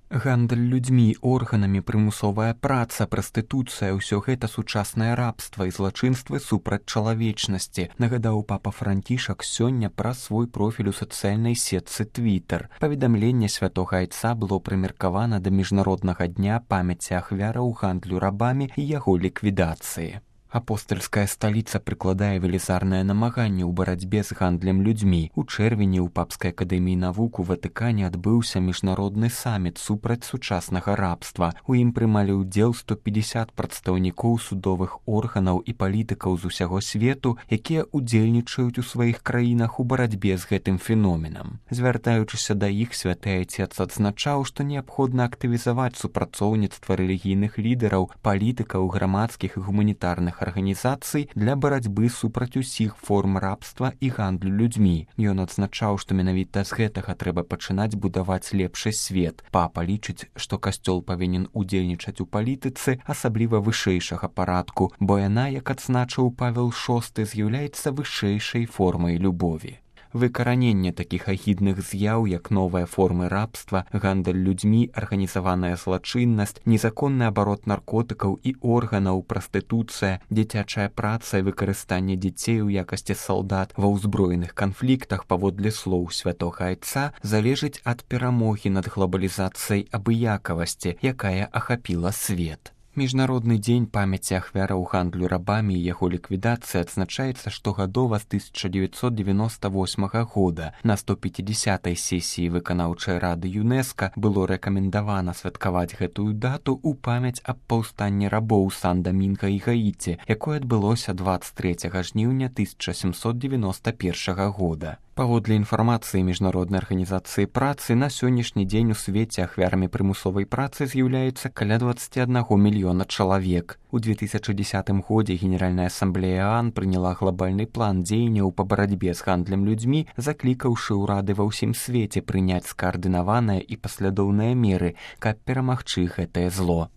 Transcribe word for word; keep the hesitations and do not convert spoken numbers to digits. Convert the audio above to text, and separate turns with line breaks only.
Гандаль людзьмі, органамі, прымусовая праца, прастытуцыя — ўсё гэта сучаснае рабства і злачынствы супраць чалавечнасці, нагадаў папа Францішак сёння праз свой профіль у сацыяльнай сетцы Твіттер. Паведамленне святога айца было прымеркавана да міжнароднага дня памяці ахвяраў гандлю рабамі і яго ліквідацыі. Апостальская сталіца прыкладае велізарнае намаганне ў барацьбе з гандлем людзьмі. У чэрвені ў Папскай акадэміі навук у Ватыкане адбыўся міжнародны саміт супраць сучаснага рабства. У ім прымалі ўдзел сто пятьдесят прадстаўнікоў судовых органаў і палітыкаў з усяго свету, якія ўдзельнічаюць у сваіх краінах у барацьбе з гэтым феноменам. Звяртаючыся да іх, святы айцец адзначаў, што неабходна актывізаваць супрацоўніцтва рэлігійных лідараў, палітыкаў, грамадскіх і гуманітарных арганізацый для барацьбы супраць усіх форм рабства і гандлю людзьмі. Ён адзначаў, што менавіта з гэтага трэба пачынаць будаваць лепшы свет. Папа лічыць, што касцёл павінен удзельнічаць у палітыцы, асабліва вышэйшага парадку, бо яна, як адзначыў Павел шосты, з'яўляецца вышэйшай формай любові. Выкараненне такіх агідных з'яў, як новыя формы рабства, гандаль людзьмі, арганізаваная злачыннасць, незаконны абарот наркотыкаў і органаў, прастытуцыя, дзіцячая праца і выкарыстанне дзяцей у якасці салдат ва ўзброеных канфліктах, паводле слоў святога айца, залежыць ад перамогі над глобалізацыяй абыякавасці, якая ахапіла свет. Міжнародны дзень памяці ахвяраў гандлю рабамі і яго ліквідацыі адзначаецца штогадова з тысяча дзевяцьсот девяносто восьмага года. На сто пятидесятай сесіі выканаўчай рады ЮНЕСКА было рэкамендавана святкаваць гэтую дату ў памяць аб паўстанні рабоў Сан-Дамінга і Гаіці, якое адбылося двадцать третьего жніўня тысяча семьсот девяносто первого года. Паводле інфармацыі міжнароднай арганізацыі працы, на сённяшні дзень у свеце ахвярамі прымусовай працы з'яўляецца каля двадцать один мільёна чалавек. У две тысячи десятым годзе Генеральная асамблея ААН прыняла глобальны план дзеянняў па барацьбе з гандлем людзьмі, заклікаўшы ўрады ва ўсім свеце прыняць скаардынаваныя і паслядоўныя меры, каб перамагчы гэтае зло.